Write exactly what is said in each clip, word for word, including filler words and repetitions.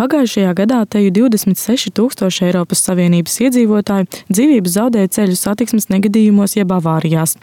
Pagājušajā gadā teju divdesmit seši tūkstoši Eiropas Savienības iedzīvotāji dzīvības zaudēja ceļu satiksmes negadījumos jeb avārijās.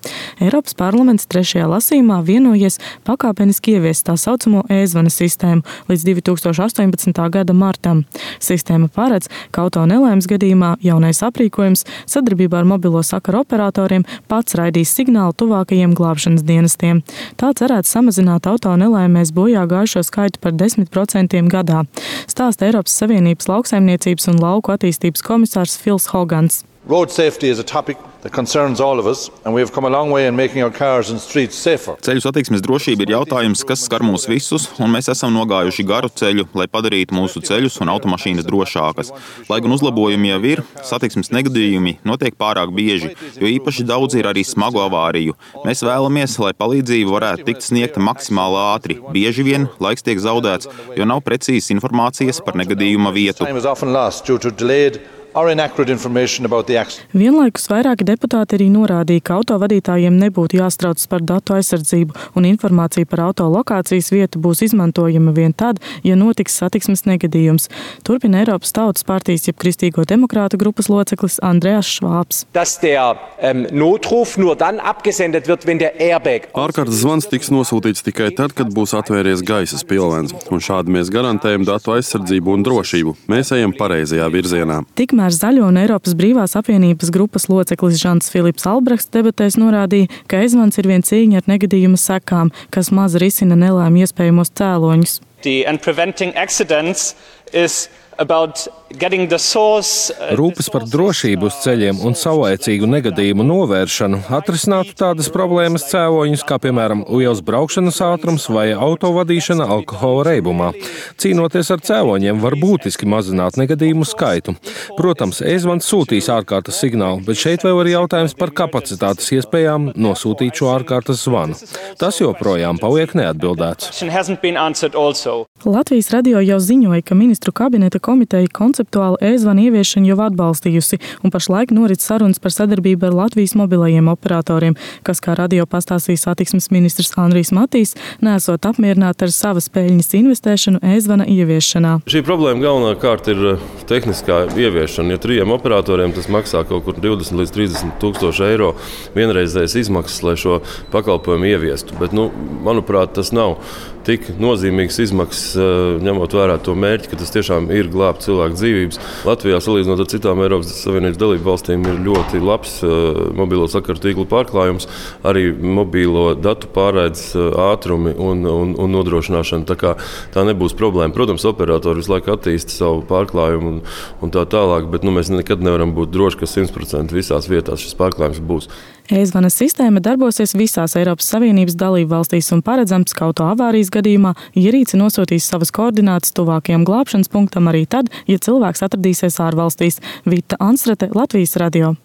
Eiropas parlaments trešajā lasījumā vienojies pakāpeniski ieviest tā saucamo e-zvana sistēmu līdz divi tūkstoši astoņpadsmitā gada martam. Sistēma paredz, ka auto nelaimes gadījumā jaunais aprīkojums sadarbībā ar mobilo sakaru operatoriem pats raidīs signālu tuvākajiem glābšanas dienestiem. Tā cerēts samazināt auto nelaimēs bojā gājušo skaitu par desmit procentiem gadā. Stāsta Eiropas Savienības lauksaimniecības un lauku attīstības komisārs Fils Hogans. Road safety is a topic that concerns all of us, and we have come a long way in making our cars and streets safer. Ceļu satiksmes drošība ir jautājums, kas skar mūs visus, un mēs esam nogājuši garu ceļu, lai padarītu mūsu ceļus un automašīnas drošākas. Lai gan uzlabojumi jau ir, satiksmes negadījumi notiek pārāk bieži, jo īpaši daudz ir arī smagu avāriju. Mēs vēlamies, lai palīdzība varētu tikt sniegta maksimāli ātri. Bieži vien laiks tiek zaudēts, jo nav precīzas informācijas par negadījuma vietu. Vienlaikus vairāki deputāti arī norādīja, ka autovadītājiem nebūtu jāstraucas par datu aizsardzību un informācija par auto lokācijas vietu būs izmantojama vien tad, ja notiks satiksmes negadījums. Turpina Eiropas Tautas partijas jeb Kristīgo demokrātu grupas loceklis Andreas Švābs. Ārkārtas zvans tiks nosūtīts tikai tad, kad būs atvēries gaisa spilvens, un šādi mēs garantējam datu aizsardzību un drošību. Mēs ejam pareizajā virzienā. Tikmēr Zaļo un Eiropas brīvās apvienības grupas loceklis Žants Filips Albrechts debatēs norādīja, ka e-zvans ir vien cīņa ar negadījuma sekām, kas maz risina nelaimi iespējamos cēloņus. Rūpes par drošību uz ceļiem un saulaicīgu negadījumu novēršanu atrisinātu tādas problēmas cēloņus, kā piemēram liels braukšanas ātrums vai autovadīšana alkohola reibumā. Cīnoties ar cēloņiem var būtiski mazināt negadījumu skaitu. Protams, e-zvans sūtīs ārkārtas signālu, bet šeit vēl ir jautājums par kapacitātes iespējām nosūtīt šo ārkārtas zvanu. Tas joprojām paliek neatbildēts. Latvijas radio jau ziņoja, ka ministru kabineta komiteja konceptuāli e-zvanu ieviešanu jau atbalstījusi, un pašlaik norit sarunas par sadarbību ar Latvijas mobilajiem operatoriem, kas, kā radio pastāstīja satiksmes ministrs Andrijs Matīs, neesot apmierināti ar savas peļņas investēšanu e-zvana ieviešanā. Šī problēma galvenokārt ir tehniskā ieviešana. Ja trijiem operatoriem tas maksā kaut kur divdesmit līdz trīsdesmit tūkstoši eiro vienreizējas izmaksas, lai šo pakalpojumu ieviestu. Bet, nu, manuprāt, tas nav tik nozīmīgs izmaksas, ņemot vērā to mērķi, ka tas tiešām ir glābt cilvēku dzīvības. Latvijā, salīdzinot ar citām Eiropas Savienības dalību valstīm, ir ļoti labs mobilo sakaru tīklu pārklājums, arī mobilo datu pārraides ātrumi un, un, un nodrošināšana. Tā kā tā nebūs problēma. Protams, operatori visu laiku attīsta savu pārklājumu un, un tā tālāk, bet nu, mēs nekad nevaram būt droši, ka simt procenti visās vietās šis pārklājums būs. E-zvana sistēma darbosies visās Eiropas Savienības dalību valstīs un paredzams, ka auto avārijas gadījumā ierīce nosūtīs savas koordinātas tuvākajam glābšanas punktam arī tad, ja cilvēks atradīsies ārvalstīs. Vita Anstrate, Latvijas radio.